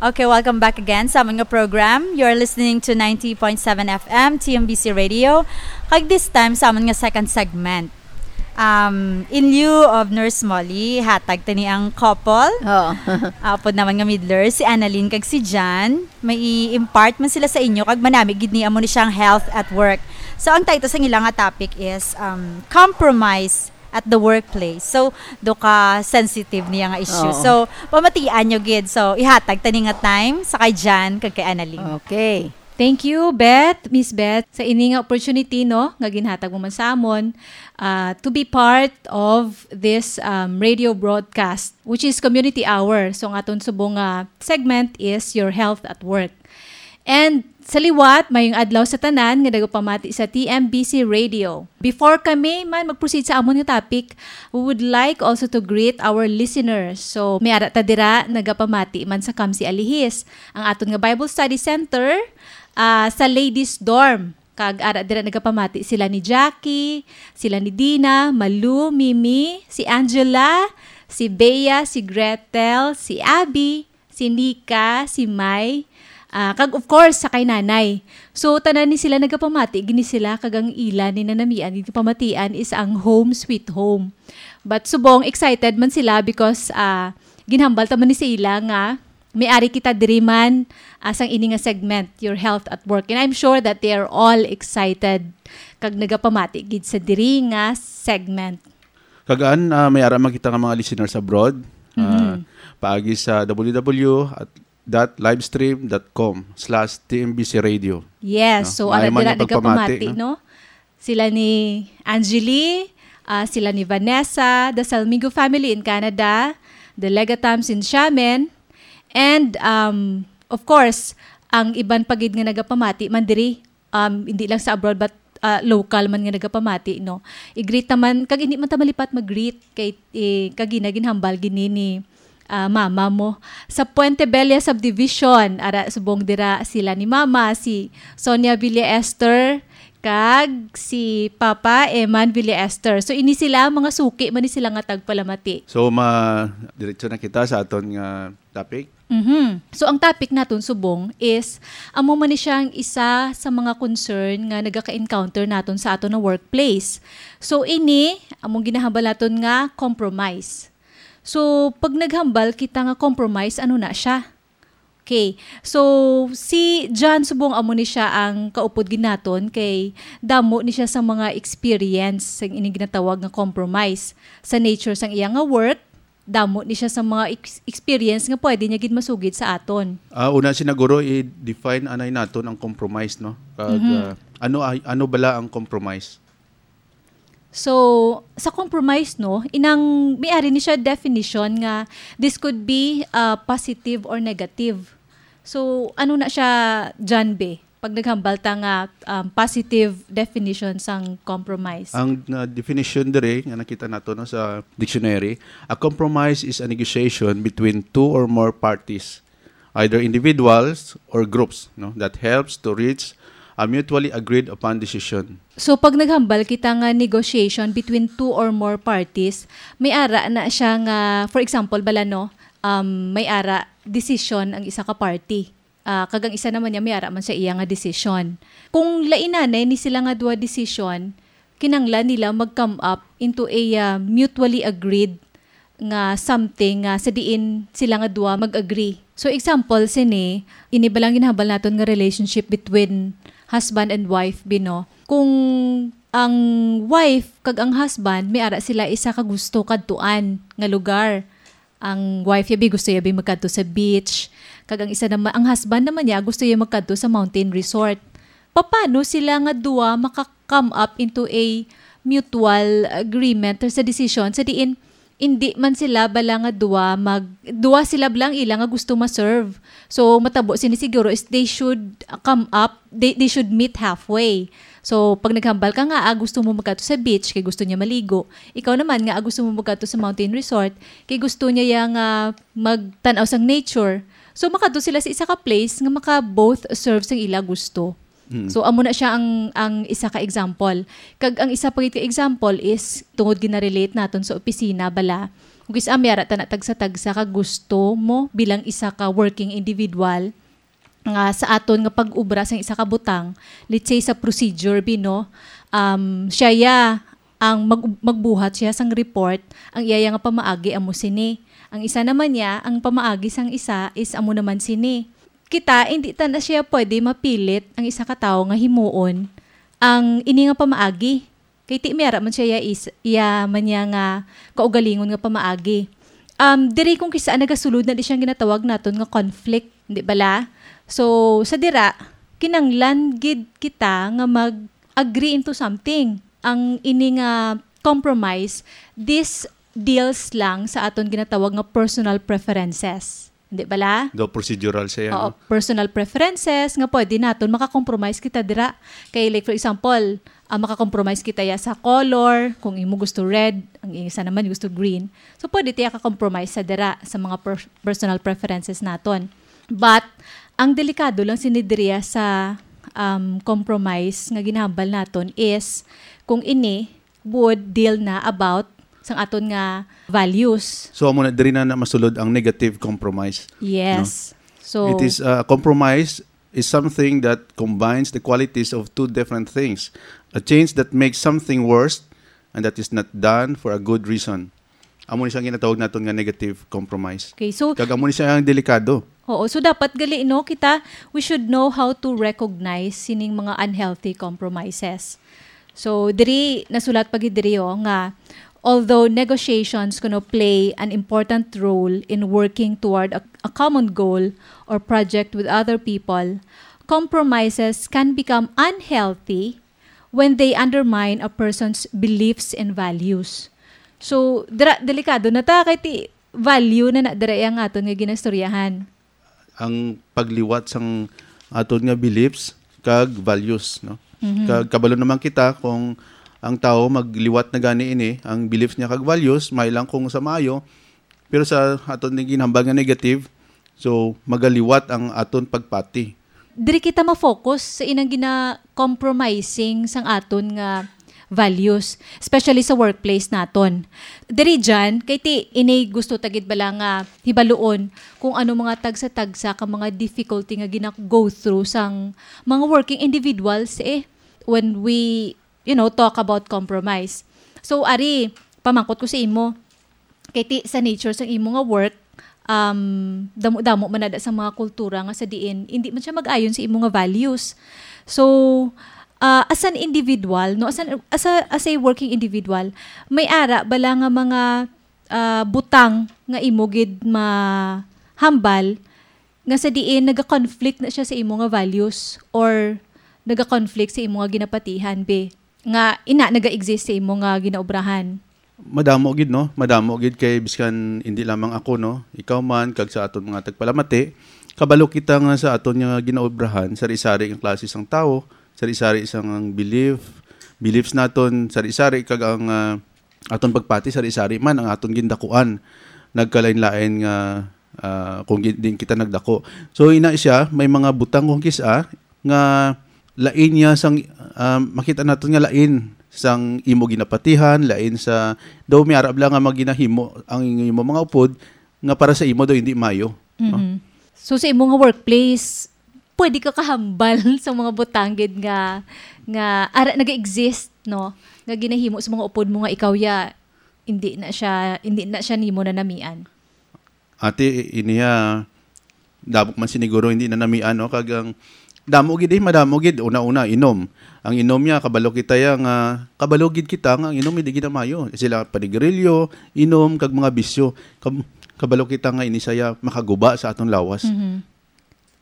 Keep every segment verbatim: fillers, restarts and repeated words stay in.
Okay, welcome back again sa amon nga program. You're listening to ninety point seven F M, T M B C Radio. Kag this time, sa amon nga second segment. Um, in lieu of Nurse Molly, hatag tani ang couple. Oh. Apod naman nga middler, si Annalyn kag si Jan. May i-impart man sila sa inyo, kag manami gid ni amo ni siyang health at work. So, ang title sa ilang nga topic is, um, Compromise at the Workplace. So, do ka sensitive niya nga issue. Oo. So, pamatian nyo gid. So, ihatag tani nga time sa kay Jan kag kay Annalyn. Okay. Thank you, Beth, Miss Beth, sa ini nga opportunity, no, nga ginhatag mo man sa amon, ah, to be part of this, um, radio broadcast, which is Community Hour. So, ang aton subong nga segment is Your Health at Work. And sa liwat, mayong adlaw sa tanan nga nagapamati sa T M B C Radio. Before kami man mag-proceed sa amon nga topic, we would like also to greet our listeners. So, may ara ta dira nagapamati man sa Kamsi Alihis, ang aton nga Bible Study Center, ah, sa Ladies Dorm. Kag ara dira nagapamati sila ni Jackie, sila ni Dina, Malu, Mimi, si Angela, si Bea, si Gretel, si Abby, si Nika, si Mai, ah, kag of course, sa kay Nanay. So, tanan ni sila nagapamati, gini sila, kag ang ila ni nanamian, gid pamatian is ang Home Sweet Home. But subong, excited man sila because, ah, ginhambal ta man ni sa ila nga may ari kita diri man, ah, sang ini nga segment, Your Health at Work. And I'm sure that they are all excited kag nagapamati gid sa diri nga segment. Kag an, ah, may ara man kita nga mga listeners abroad, ah, Mhm. paagi sa W W W dot livestream dot com slash T M B C radio. Yes, No? so Maayo ara man dira yung pagpamati, nagapamati, no? no? Sila ni Angeli, ah, sila ni Vanessa, the Salmigo family in Canada, the Legatams in Xiamen, and, um, of course, ang iban pa gid nga nagapamati man diri, um, hindi lang sa abroad, but, ah, local man nga nagapamati, no? I-greet naman, kag hindi man ta malipat mag-greet kay, eh, kag gina-, ginhambal gini ni, ah, mama mo. Sa Puente Bella Subdivision, ara subong dira sila ni mama, si Sonia Villa Esther, kag si Papa Eman Villa Esther. So, ini sila, mga suki man ni sila nga tagpalamati. So, ma-, diretso na kita sa aton nga topic. Mhm. So, ang topic naton subong is, amo man ni siya ang isa sa mga concern nga nagaka-encounter naton sa aton nga workplace. So, ini, among ginahambal naton nga compromise. So, pag naghambal kita nga compromise, ano na siya? Okay. So, si John subong amo ni siya ang kaupod gid naton kay damo ni siya sa mga experience sa ining ginatawag nga compromise. Sa nature sang iya nga work, damo ni siya sa mga ex-, experience nga pwede niya gid masugid sa aton. Ah, una, sinaguro, i-define anay naton ang compromise, no? Kag, Mhm. ah, ano ay, ano bala ang compromise? So, sa compromise, no, inang may ari ni siya definition nga this could be, ah, positive or negative. So, ano na siya, John B? Pag naghambal ta nga, um, positive definition sang compromise. Ang, uh, definition diri nga nakita nato, no, sa dictionary, a compromise is a negotiation between two or more parties, either individuals or groups, no, that helps to reach a mutually agreed upon decision. So, pag naghambal kita nga negotiation between two or more parties, may ara na siya nga, for example, bala, no, um, may ara decision ang isa ka party. Ah, kag ang isa naman niya, may ara man siya iya nga desisyon. Kung lainanay ni sila nga duha desisyon, kinanglan nila mag-come up into a, ah, mutually agreed nga something nga sa diin sila nga duha mag-agree. So, example sini, ini ba lang ginhambal naton nga relationship between husband and wife, bino? Kung ang wife kag ang husband, may ara sila isa ka gusto kadtuan nga lugar. Ang wife niya, bi, gusto niya, bi, magkadto sa beach. Kag ang isa naman, ang husband naman niya, gusto niya magkadto sa mountain resort. Paano sila nga duwa maka-come up into a mutual agreement or sa decision sa diin hindi man sila bala nga duwa mag-, duwa sila bala ang ila nga gusto ma-serve? So, matabo sini siguro is they should come up, they, they should meet halfway. So, pag naghambal ka nga, ah, gusto mo magkadto sa beach kay gusto niya maligo. Ikaw naman nga, ah, gusto mo magkadto sa mountain resort kay gusto niya ya nga magtan-aw sang nature. So, makadto sila sa isa ka place nga maka both serve sang ila gusto. Mm. So, amo na siya ang, ang isa ka example. Kag ang isa pa gid ka example is tungod gina-relate naton sa opisina bala. Kung kis-a may ara ta na tagsa-tagsa ka gusto mo bilang isa ka working individual nga sa aton nga pag-obra sang isa ka butang, let's say sa procedure, bi, no? Um, siya ya ang mag-, magbuhat siya sang report, ang iya ya nga pamaagi amo sini. Ang isa naman niya, ang pamaagi sang isa is amo naman sini. Kita, hindi ta na siya pwede mapilit ang isa ka tawo nga himuon ang ini nga pamaagi. Kay ti may ara man siya ya is, iya man niya nga kaugalingon nga pamaagi. Um, diri kung kis-a nagasulod na di siyang ginatawag naton nga conflict, di bala? So, sa dira, kinanglan gid kita nga mag-agree into something. Ang ini nga compromise, this deals lang sa aton ginatawag nga personal preferences. Di bala? Daw procedural siya, Oo, no? personal preferences nga pwede naton makakompromise kita dira. Kay, like, for example, ah, makakompromise kita ya sa color, kung imo gusto red, ang isa naman gusto green. So, pwede tayo ka-compromise sa dira sa mga per-, personal preferences naton. But, ang delikado lang sini diriya sa, um, compromise nga ginahambal naton is kung ini would deal na about sang aton nga values. So, amo na diri na, na masulod ang negative compromise. Yes. So, It is, uh, a compromise is something that combines the qualities of two different things. A change that makes something worse and that is not done for a good reason. Amo ni siya ang ginatawag naton nga negative compromise. Okay, so Kag amo ni siya ang delikado. Oo, so dapat gali, no, kita, we should know how to recognize sining mga unhealthy compromises. So, diri, nasulat pa gid diri, oh, nga, although negotiations kuno play an important role in working toward a, a common goal or project with other people, compromises can become unhealthy when they undermine a person's beliefs and values. So, dira, delikado na ta, kay ti value na na dira ang aton nga ginastoryahan. Ang pagliwat sang aton nga beliefs kag values, no? Mhm. Kag kabalo naman kita kung ang tawo magliwat na gani ini, ang beliefs niya kag values, may lang kung sa maayo, pero sa aton nga ginhambal nga negative, so magaliwat ang aton pagpati. Diri kita ma-focus sa inang gina-compromising sang aton nga values, especially sa workplace naton. Diri dyan, kay ti ini gusto ta gid bala nga hibaluon kung ano mga tagsa-tagsa ka mga difficulty nga gina-go through sang mga working individuals, eh, when we, you know, talk about compromise. So, ari, pamangkot ko sa imo, kay ti sa nature sang imo nga work, um, damo-damo man na da sa mga kultura nga sa diin, hindi man siya mag-ayon sa imo nga values. So, ah, as an individual, no, as an, as a, as a working individual, may ara bala nga mga, ah, butang nga imo gid mahambal nga sa diin naga-conflict na siya sa imo nga values or naga-conflict sa imo nga ginapatihan, be, nga ina naga-exist sa imo nga ginaobrahan? Madamo gid, no? Madamo gid, kay biskan hindi lamang ako, no? Ikaw man, kag sa aton mga tagpalamati, kabalo kita nga sa aton nga ginaobrahan, sari-sari ang klase sang tawo, sari-sari sang ang belief, beliefs naton, sari-sari kag ang, ah, aton pagpati, sari-sari man ang aton gindakuan. Nagkalain-lain nga, ah, kung gi-, din kita nagdako. So, ina siya, may mga butang kung kis-a nga lain niya sang, ah, makita naton nga lain sang imo ginapatihan, lain sa, daw may arab lang nga maginahimo ang imo mga upod nga para sa imo daw hindi mayo, no? Mhm. So, sa imo nga workplace, pwede ka kahambal sa mga butang gid nga, nga ara naga-exist, no? Nga ginahimo sa mga upod mo nga ikaw ya, hindi na siya, hindi na siya nimo nanamian. Ati, iniya, damo man siniguro hindi nanamian, no? Kag ang damo gid, eh, madamo gid. Una-una, inom. Ang inom niya, kabalo kita ya nga, kabalo gid kita nga ang inom hindi gid na mayo. Sila panigarilyo, inom, kag mga bisyo. Kab-, kabalo kita nga ini saya makaguba sa aton lawas. Mhm.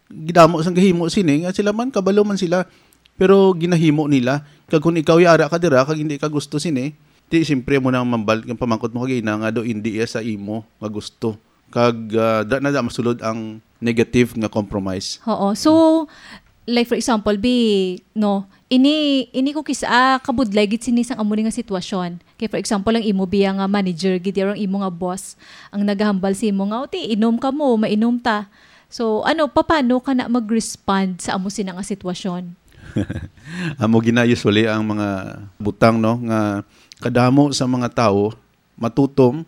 Gidamo sang gahimo sini nga sila man, kabalo man sila, pero ginahimo nila. Kag kung ikaw yara ka dira kag hindi ka gusto sini, di, siyempre mo nang mambal-, ang pamangkot mo kag ina nga do hindi iya sa imo nga gusto. Kag, ah, da na da masulod ang negative nga compromise. Oo. So, like, for example, bi, no, ini, ini ko kis-a kabudlay gid sini sang amo ni nga sitwasyon. Kay, for example, ang imo biya nga manager gid, or ang imo nga boss, ang nagahambal sa imo nga, "O, ti, inom ka mo, mainom ta." So, ano, papaano ka na mag-respond sa amo sina nga sitwasyon? Amo gina usually ang mga butang, no, nga kadamo sa mga tawo matutom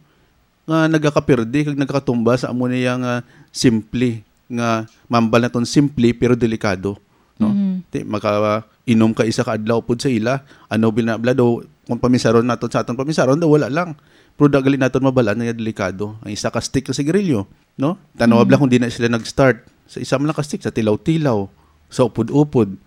nga nagakapirdi kag nagakatumba sa amo niya nga simple, nga mambal naton simple pero delikado, no? Mhm. Ti, makainom ka isa ka adlaw pud sa ila, ano, bilin na bala daw, kung paminsaron naton sa aton paminsaron, daw wala lang. Pero da gali naton mabalaan nga delikado. Ang isa ka stick ka sigarilyo, no? Tanawa bala Mhm. kung di na sila nag-start. Sa isa man lang ka stick, sa tilaw-tilaw, sa upod-upod.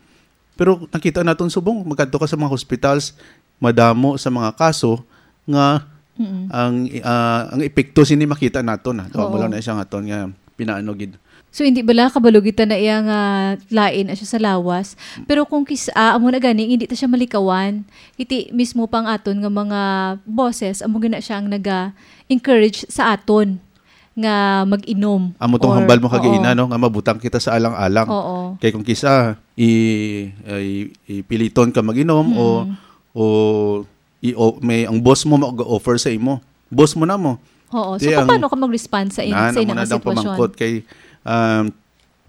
Pero nakita naton subong, magkadto ka sa mga hospitals, madamo sa mga kaso nga Mm. ang, ah, ang epekto sini makita naton, ah. Amo Oo. lang na siya nga aton nga pinaano gid. So, hindi bala kabalo kita na iya nga lain na siya sa lawas. Pero kung kis-, ah, amo na gani, hindi ta siya malikawan. Iti mismo pa ang aton nga mga boses, amo gina siya ang naga-encourage sa aton nga mag-inom Amo tong or, hambal mo kagaina, oo. no, nga mabutang kita sa alang-alang. Oo. Kay kung kisa, i-, i-, ipiliton ka mag-inom o, Mm. o, i-, o, may, ang boss mo mag-offer sa imo. Boss mo na mo. Oo. So, Di ang paano ka mag-respond sa in-, na, sa namo inang na dang sitwasyon? pamangkot kay, um,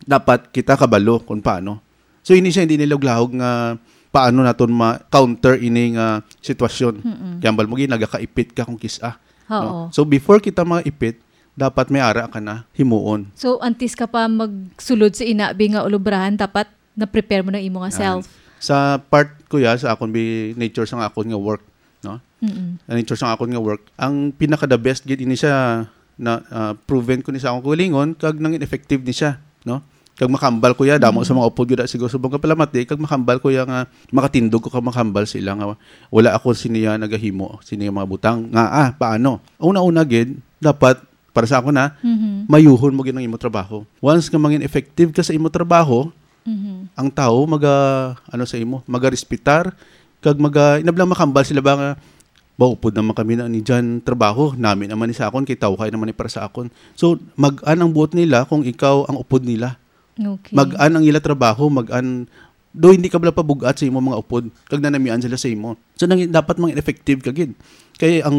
dapat kita kabalo kung paano. So, ini siya, hindi nila lahog nga paano naton ma-counter ini nga sitwasyon. Mm-mm. Kaya hambal mo, gi-, nagakaipit ka kung kisa. Oo. No? So, before kita maipit, dapat may ara ka na himuon. So, antes ka pa magsulod sa inabi nga ulubrahan, dapat na-prepare mo na imo nga Yan. self. Sa part ko ya, sa akon bi-, nature sa akon nga work, no? Mm-mm. Ang nature sa akon nga work, ang pinaka the best gid ini siya na, ah, proven ko ni sa akong kaugalingon, kag nangin effective ni siya, no? Kag makambal ko ya, damo Mm. sa mga upod gid siguro subong ka palamat di, kag makambal ko ya nga makatindog ko kag makambal sila nga wala ako siniya nagahimo, siniya mga butang. Nga, ah, paano? Una-una gid, dapat, para sa ako na, Mhm. mayuhon mo gid ang imo trabaho. Once nga mangin effective ka sa imo trabaho, Mhm. ang tao maga, ano sa imo, maga-respetar, kag maga, inablang makambal sila ba nga, "Ba, upod naman kami na ni Jan trabaho, nami naman ni sa akon, kay tawhay naman ni para sa akon." So, mag-an ang buot nila kung ikaw ang upod nila. Okay. Mag-an ang ila trabaho, mag-an, do hindi ka bala pabug-at sa imo mga upod, kag nanamian sila sa imo. So, nang, dapat mang effective ka gid. Kay ang,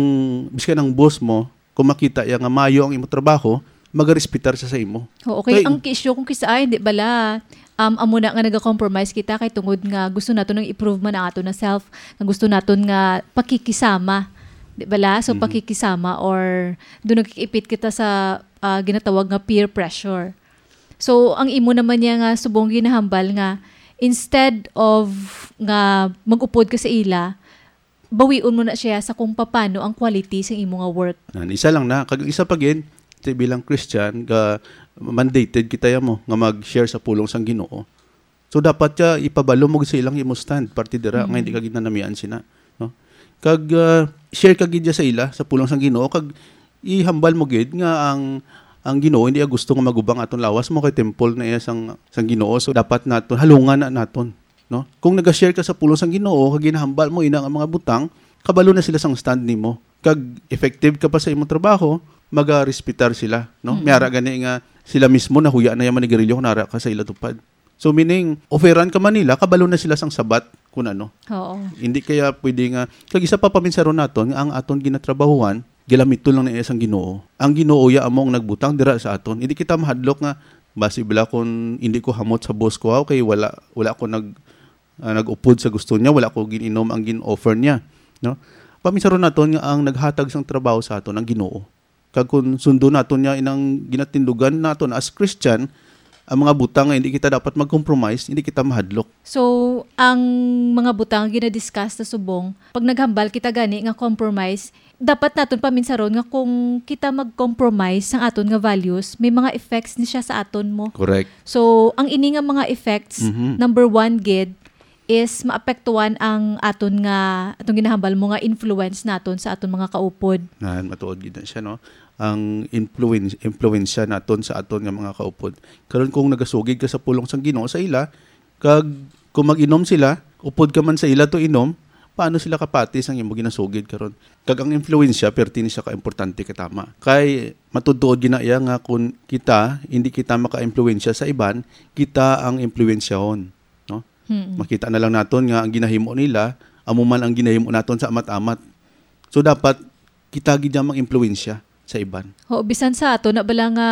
biskan ang boss mo, kung makita iya nga mayo ang imo trabaho, magarespetar siya sa imo. Oo, kay Kay ang issue kung kisa, ay, di bala, um, amo na nga naga-compromise kita kay tungod nga gusto naton nga i-prove man ang ato na self, nga gusto naton nga pakikisama. Di bala? So, Mhm. pakikisama or doon nagkikipit kita sa, ah, ginatawag nga peer pressure. So, ang imo naman niya nga subong ginahambal nga instead of nga mag-upod ka sa ila, bawion mo na siya sa kung papano ang quality sa imo nga work. Nan, isa lang na. Kag isa pa gid, ti bilang Christian, ga, mandated kita ya mo nga mag-share sa pulong sang Ginoo. So, dapat ka ipabalo mo sa ilang imo stand, parte dira, nga Mm. hindi ka ginanamian sina, no? Kag, ah, share ka gid ya sa ila, sa pulong sang Ginoo, kag ihambal mo gid nga ang, ang Ginoo hindi iya gusto nga magubang aton lawas mo kay temple na iya sang, sang Ginoo. So, dapat naton, halungan na naton. No? Kung naga-share ka sa pulong sang Ginoo, kag ginahambal mo ina nga mga butang, kabalo na sila sang stand nimo. Kag effective ka pa sa imong trabaho, magarespetar sila, no? Mm. May ara gani nga sila mismo nahuya na yung manigarilyo kung nara ka sa ila tupad. So, meaning, offeran ka man nila, kabalo na sila sang sabat, kung ano. Oo. Hindi kaya pwede nga, kag isa pa paminsaron naton, nga ang aton ginatrabahuan, ginamiton lang na iya sang Ginoo. Ang Ginoo ya amo ang nagbutang dira sa aton. Hindi kita mahadlok nga, basi bala kung hindi ko hamot sa boss ko, ha, kay wala, wala ko nag, ah, nag-upod sa gusto niya, wala ko gin-inom ang gin-offer niya, no? Paminsaron naton nga ang naghatag sang trabaho sa aton ang Ginoo. Kag kung sundo naton niya inang ginatindugan naton as Christian, ang mga butang nga hindi kita dapat mag-compromise, hindi kita mahadlok. So, ang mga butang nga gina-discuss na subong, pag naghambal kita gani nga compromise, dapat naton paminsaron nga kung kita mag-compromise sang aton nga values, may mga effects ni siya sa aton mo. Correct. So, ang ini nga mga effects, Mhm. number one gid, is maapektuhan ang aton nga, atong ginahambal mo nga influence naton sa aton mga kaupod. Nan, matuod gid na siya, no? Ang influence, influensya naton sa aton nga mga kaupod. Karon, kung nagasugid ka sa pulong sang Ginoo sa ila, kag kung mag-inom sila, upod ka man sa ila to inom, paano sila kapati sang imo ginasugid karon? Kag ang influensya, perti ni siya ka importante, katama. Kay matuod-tuod gina iya nga kung kita, hindi kita maka-influensya sa iban, kita ang influensyahon, no? Mm. Makita na lang naton nga ang ginahimo nila, amo man ang ginahimo naton sa amat-amat. So, dapat kita gid ang mag-impluwensya sa iban. Oo, bisan sa ato na bala nga,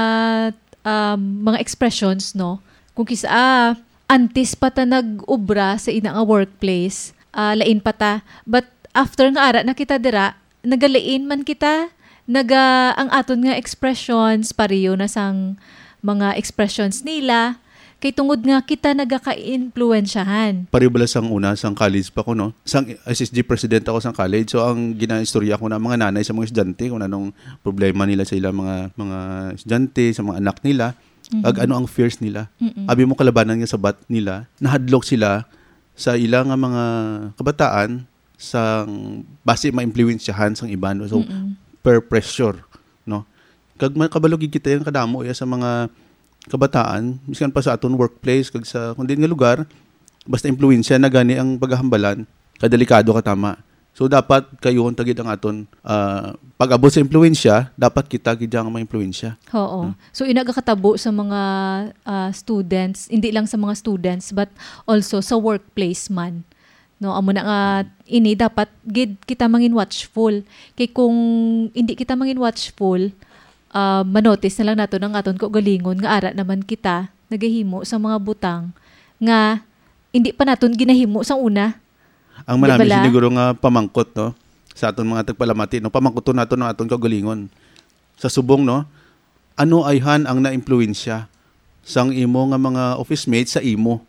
um, mga expressions, no? Kung kis-, ah, antes pa ta nag-ubra sa ina nga workplace, ah, lain pa ta. But after nga ara na kita dira, nagalain man kita, Naga, ang aton nga expressions, pareho na sang mga expressions nila, kay tungod nga kita nagaka-impluwensyahan. Pareho bala sang una, sang college pa ko, no? Sang S S G president ako sang college. So, ang ginaistorya ko na mga nanay sa mga estudyante kung anong problema nila sa ilang mga, mga estudyante, sa mga anak nila, Mhm. Ag ano ang fears nila. Mm-mm. Abi mo kalabanan nga sabat nila, nahadlok sila sa ila nga mga kabataan sang basi maimpluwensyahan sang iban. So, Mm-mm. Peer pressure, no? Kag makabalo gid kita yang kadamo iya sa mga kabataan, miskan pa sa aton workplace kag sa kun diin nga lugar, basta impluwensya na gani ang pagahambalan, kadelikado ka tama. So, dapat kayuhon ta gid ang aton, ah, pag-abot sa impluwensya, dapat kita gid ang maimpluwensya. Oo. Hmm. So, ina gakatabo sa mga, ah, students, hindi lang sa mga students, but also sa workplace man. No, amo na nga ini dapat gid kita mangin watchful. Kay kung hindi kita mangin watchful, ah, manotice na lang naton ang aton kaugalingon nga ara naman kita nagahimo sa mga butang nga hindi pa naton ginahimo sang una. Ang Di manami bala? Siguro nga pamangkot, no, sa aton mga tagpalamati, no, pamangkuton naton ang aton kaugalingon. Sa subong, no, ano ayhan ang naimpluwensya sang imo nga mga office mates sa imo?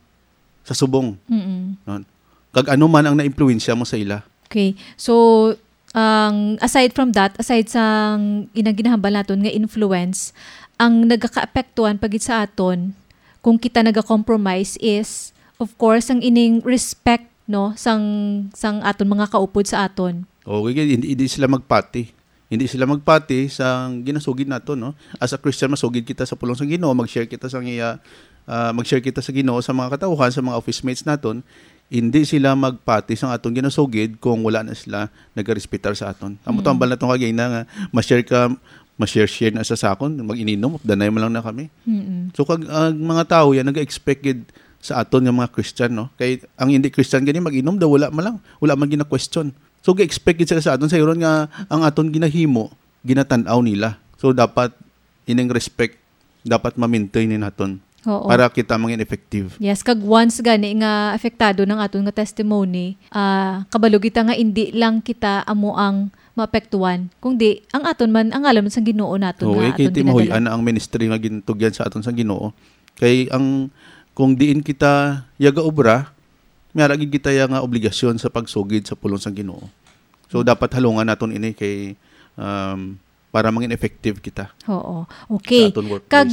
Sa subong. Mm-mm. No? Kag ano man ang naimpluwensya mo sa ila? Okay. So, ang, aside from that, aside sang inang ginahambal naton nga influence, ang nagakaapektuhan pa gid sa aton kung kita naga-compromise is, of course, ang ining respect, no, sang, sang aton mga kaupod sa aton. Okay, hindi, hindi sila magpati. Hindi sila magpati sa ginasugid nato, no? As a Christian, masugid kita sa pulong sa Ginoo, mag-share kita sa iya, ah, mag-share kita sa Ginoo sa mga katawhan, sa mga office mates naton. Hindi sila magpati sa aton ginasugid kung wala na sila nagarespetar sa aton. Amo Mm. tambal naton kagina nga ma-share ka, ma-share-share na sa sakon, mag-ininom, danay man lang na kami. Mm-mm. So, kag ang mga tawo yan, nag-expect gid sa aton nga mga Christian, no? Kay ang hindi Christian gani mag-inom daw, wala man lang, wala man gina-question. So, ga-expect gid sila sa aton, sayuron nga ang aton ginahimo, ginatan-aw nila. So, dapat ining respect, dapat ma-maintain ni naton Oo. Para kita mangin effective. Yes, kag once gani nga apektado ng aton nga testimony, ah, kabalo kita nga indi lang kita amo ang maapektuhan, kundi ang aton man, ang ngalan man sang Ginoo naton Oo, nga eh, kay aton ti mahuy-an ginadala. Na ang ministry nga gintugyan sa aton sang Ginoo. Kay ang, kung diin kita yagaobra, may ara gid kita ya nga obligasyon sa pagsugid sa pulong sang Ginoo. So, Mm. dapat halungan naton ini kay, um, para mangin effective kita Oo. Okay. Sa aton workplace. Kag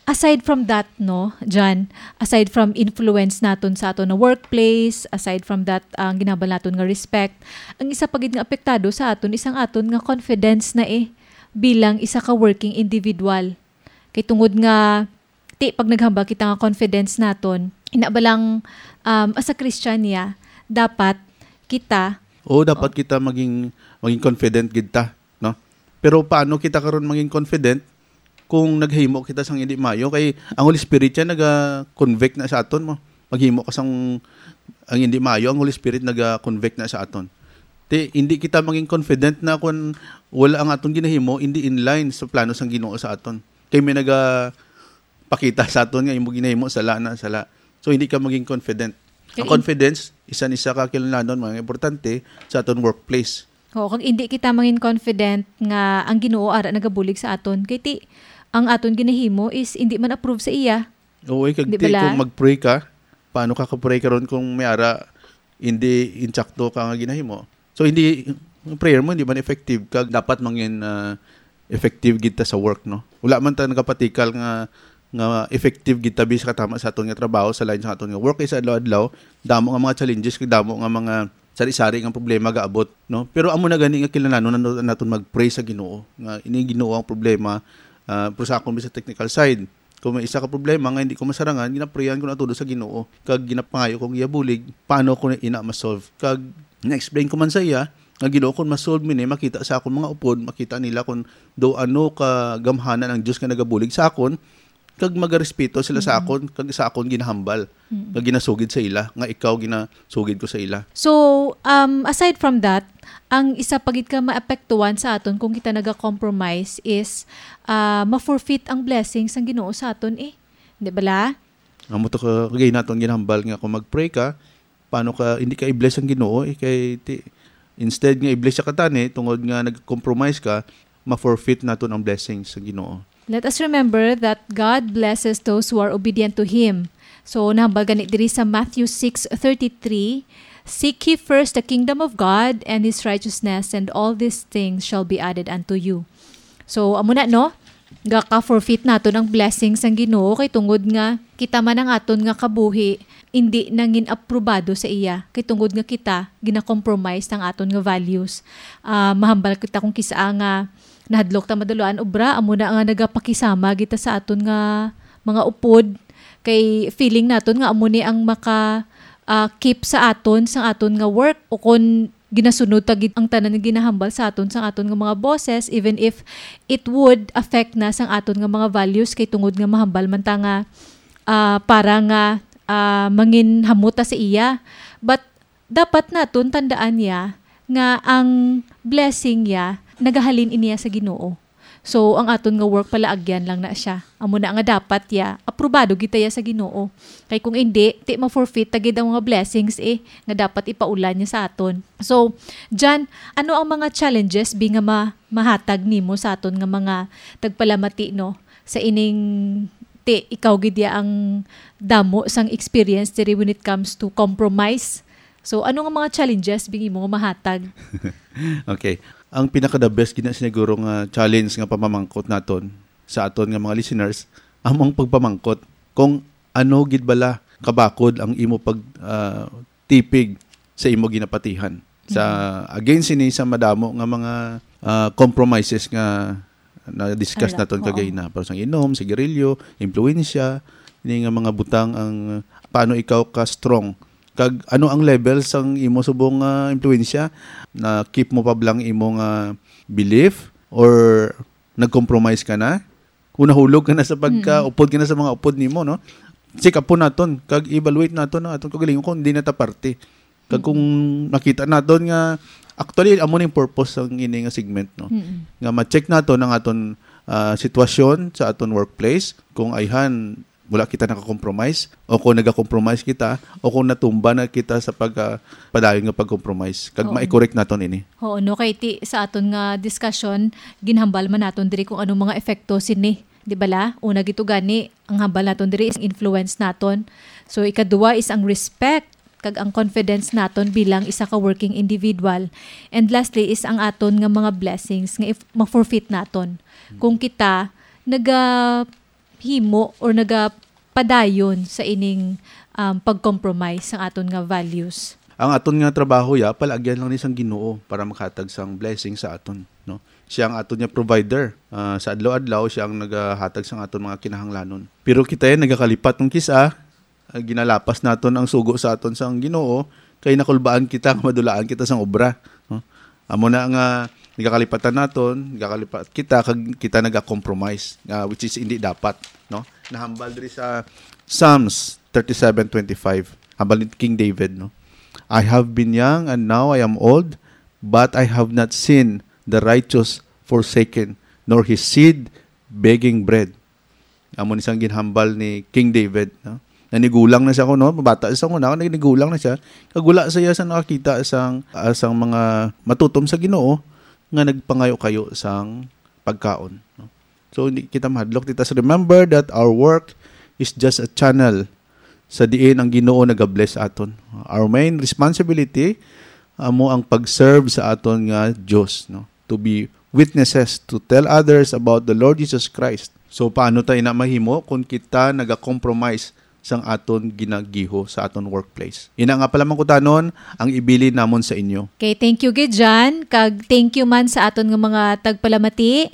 aside from that, no, John, aside from influence naton sa aton na workplace, aside from that, ang ginahambal naton nga respect, ang isa pa gid nga apektado sa aton is ang aton nga confidence na eh bilang isa ka working individual. Kay tungod nga, ti, pag naghambal kita nga confidence naton, ina ba lang, um, as a Christian niya, dapat kita Oo, dapat Oh. kita maging, maging confident gid ta, no? Pero paano kita karon maging confident kung naghimo kita sang hindi maayo? Kay ang Holy Spirit siya naga-convict na sa aton mo. Maghimo ka sang ang hindi maayo, ang Holy Spirit naga-convict na sa aton. Ti, hindi kita maging confident na kung wala ang aton ginahimo, hindi in line sa plano sang Ginoo sa aton. Kay may naga pakita sa aton nga imo ginahimo sala na sala. So, hindi ka maging confident. Kay Ang in- confidence, isa ni sa kakilanlandon, mga importante sa aton workplace. Oo, kag hindi kita mangin confident nga ang Ginoo ara nagabulig sa aton. Kay ti, ang aton ginahimo is hindi man approve sa iya. Oo, eh, kag Di ti, bala? Kung mag-pray ka, paano ka ka-pray karon kung may ara hindi insakto ka nga ginahimo? So, hindi, yung prayer mo hindi man effective kag dapat mangin, ah, effective gid ta sa work, no? Wala man ta nagapatikal nga, nga effective gid ta bisag katama sa aton nga trabaho, sa line sa aton nga work, kay sa adlaw-adlaw, damo nga mga challenges, kag damo nga mga sari-sari nga problema gaabot, no? Pero amo na gani nga kinahanglan nato-, naton mag-pray sa Ginoo, nga ini Ginoo ang problema, ah, pero sa akon, sa technical side, kung may isa ka problema nga hindi ko masarangan, ginaprayan ko na todo sa Ginoo, kag ginapangayo kong iyabulig, paano ko na ina ma-solve. Kag na-explain ko man sa iya, nga, "Ginoo, kung ma-solve mi ni, makita sa akong mga upod, makita nila kung do ano ka gamhanan ang Dios nga nagabulig sa akon, kag magarespeto sila sa Mm. akon, kag sa akon ginahambal, Mm. nga ginasugid sa ila, nga ikaw ginasugid ko sa ila." So, um, aside from that, ang isa pa gid ka maapektuhan sa aton kung kita naga-compromise is, ah, ma-forfeit ang blessing sang Ginoo sa aton eh. Di bala? Amo to ka, kagay naton ginahambal nga kung mag-pray ka, paano ka, hindi ka i-bless ang Ginoo, eh, kay ti-, instead nga i-bless siya ka tani, tungod nga nag-compromise ka, ma-forfeit naton ang blessings sa Ginoo. Let us remember that God blesses those who are obedient to Him. So, nahambal gani diri sa Matthew six thirty-three, "Seek ye first the kingdom of God and His righteousness, and all these things shall be added unto you." So, amo na, no? Gaka-forfeit naton ang blessing sang Ginoo, kay tungod nga kita man ang aton nga kabuhi, indi nangin aprobado sa iya, kay tungod nga kita gina-compromise ang aton nga values. Ah, mahambal kita kung kisa nga nahadlok ta madulaan obra, amo na nga nagapakisama kita sa aton nga mga upod, kay feeling naton nga amo ni ang maka, ah, keep sa aton, sang aton nga work, o kon ginasunod ta gid ang tanan nga ginahambal sa aton sang aton nga mga bosses, even if it would affect na sang aton nga mga values, kay tungod nga mahambal man ta nga, ah, para nga, ah, manginhamot ta sa iya. But dapat naton tandaan niya nga ang blessing niya nagahalin iniya sa Ginoo. So, ang aton nga work palaagyan lang na siya. Amo na nga dapat ya, aprobado gid ta ya sa Ginoo. Kay kung indi, ti ma-forfeit ta gid ang mga blessings, eh, nga dapat ipaulan niya sa aton. So, Jan, ano ang mga challenges bi nga ma-, mahatag nimo sa aton nga mga tagpalamati, no? Sa ining, ti, ikaw gid ya ang damo sang experience diri when it comes to compromise. So, ano nga mga challenges bi imo nga mahatag? Okay. Ang pinaka the best gina siguro nga challenge nga pamamangkot naton sa aton nga mga listeners, amo ang pagpamangkot kung ano gid bala kabakod ang imo pag, ah, tipig sa imo ginapatihan. Sa, Mhm. against ini sa madamo nga mga, ah, compromises nga na-discuss Ala, naton oo. kagay na, para sa inom, sigarilyo, impluwensya, ini nga mga butang ang, paano ikaw ka strong? Kag ano ang level sang imo subong nga impluwensya? Na keep mo pa blang imo nga belief or nag-compromise ka na? Kung nahulog ka na sa pagka Mm. upod ka na sa mga upod nimo, no? Check up po naton, kag evaluate naton ang aton kagalingon kung di na ta parte. Kag kung Mm. nakita naton nga, actually, amo na yung purpose sang ini nga segment, no? Mm. Nga ma-check naton ang aton, ah, sitwasyon sa aton workplace, kung ayhan, wala kita naka-compromise, o kung naga-compromise kita, o kung natumba na kita sa pag, ah, padayon nga pag-compromise. Kag Oo. ma-correct naton ini. Oo, no, kay ti, sa aton nga discussion, ginhambal man naton diri kung anong mga epekto sini, di bala? Una gid to gani, ang hambal naton diri is influence naton. So, ikaduha is ang respect kag ang confidence naton bilang isa ka working individual. And lastly is ang aton nga mga blessings nga if ma-forfeit naton. Hmm. Kung kita nagahimo or nagapadayon sa ining, um, pag-compromise sang aton nga values. Ang aton nga trabaho, ya, palagyan lang ni sang Ginoo para makahatag sang blessing sa aton, no? Siya ang aton nga provider. Ah, sa adlaw-adlaw, siya ang nagahatag sang aton mga kinahanglanon. Pero kita yan nagakalipat ng kisa, ah, ginalapas naton ang sugo sa aton sang Ginoo, kay nakulbaan kita nga madulaan kita sang obra, no? Amo na nga nagakalipatan naton, nagakalipat kita, kag kita naga-compromise, ah, which is hindi dapat, no? Nahambal diri sa Psalms thirty-seven twenty-five, hambal ni King David, no? "I have been young and now I am old, but I have not seen the righteous forsaken, nor his seed begging bread." Amo ni sang ginhambal ni King David, no? Nanigulang na siya kuno, mabata siya kuno, nanigulang na siya. Kag wala siya sa nakakita sang, ah, sang mga matutom sa Ginoo nga nagpangayo-kayo sang pagkaon, no? So, hindi kita mahadlok. Let us remember that our work is just a channel sa diin ang Ginoo nagabless aton. Our main responsibility amo ang pag-serve sa aton nga Dios, no? To be witnesses, to tell others about the Lord Jesus Christ. So, paano tayo na mahimo kung kita naga-compromise sang aton ginagiho sa aton workplace? Ina nga pala mangkutanon ang ibilin namon sa inyo. Okay, thank you gid, Jan. Kag thank you man sa aton nga mga tagpalamati.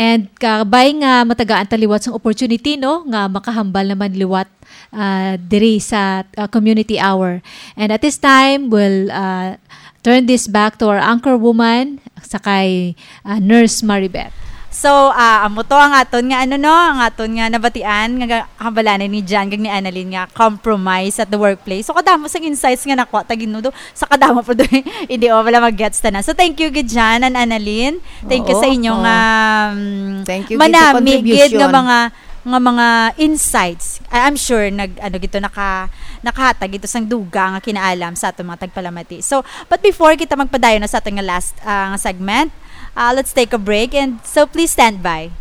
And kabay nga matagaan ta liwat sang opportunity, no, nga makahambal naman liwat, ah, diri sa, ah, community hour. And at this time, we'll, ah, turn this back to our anchor woman, sa kay, ah, Nurse Maribeth. So, ah, amo to ang aton nga, ano, no, ang aton nga nabatian nga ga-, hambalanan ni Jan kag ni Annalyn nga compromise at the workplace. So, kadamo sang insights nga nakuha ta gid, no, do, sa kadamo pa do, hindi o wala mag-gets ta na. So, thank you gid, Jan and Annalyn. Thank you sa Oo, inyong, oo. um, Thank you gid sa manami gid nga contribution. mga, nga mga insights. I, I'm sure nag, ano, gito naka, nakahatag ito sang dugang nga kinaalam sa aton mga tagpalamati. So, but before kita magpadayon na sa aton nga last, ah, nga segment, ah, let's take a break, and so please stand by.